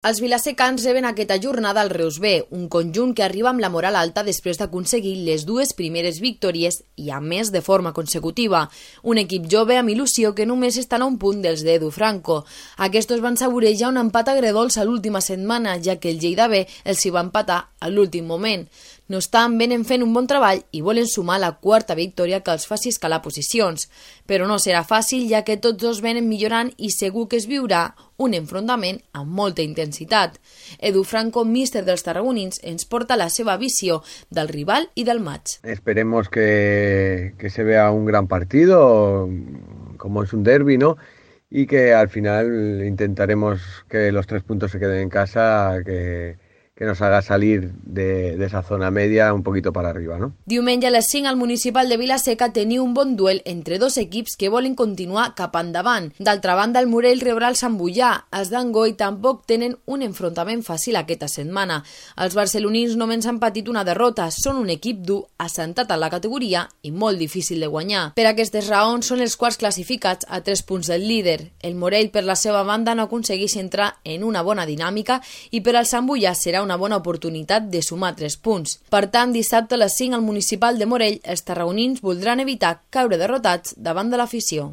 Els vilassecans reben aquesta jornada al Reus B, un conjunt que arriba amb la moral alta després d'aconseguir les dues primeres victòries i a més de forma consecutiva. Un equip jove amb il·lusió que només estan a un punt dels d'Edu Franco. Aquests van saborejar un empat agredolç a l'última setmana, ja que el Lleida B els hi va empatar a l'últim moment. No estan venen fent un bon treball i volen sumar la quarta victòria que els faci escalar posicions. Però no serà fàcil, ja que tots dos venen millorant i segur que es viurà un enfrontament amb molta intensitat. Edu Franco, míster dels tarragonins, ens porta la seva visió del rival i del match. Esperemos que se vea un gran partido, como es un derbi, ¿no? Y que al final intentaremos que los 3 puntos se queden en casa, que nos haga salir de esa zona media un poquito para arriba, ¿no? Diumenge a les 5 al Municipal de Vila-seca teniu un bon duel entre dos equips que volen continuar cap endavant. D'altra banda, el Morell rebrà el Sant Boià. Els d'Angoi tampoc tenen un enfrontament fàcil aquesta setmana. Els barcelonins només han patit una derrota. Són un equip dur, assentat a la categoria i molt difícil de guanyar. Per aquestes raons són els quarts classificats a 3 punts del líder. El Morell, per la seva banda, no aconsegueix entrar en una bona dinàmica i per al Sant Boià serà una bona oportunitat de sumar 3 punts. Per tant, dissabte a les 5 al Municipal de Morell, els tarragonins voldran evitar caure derrotats davant de l'afició.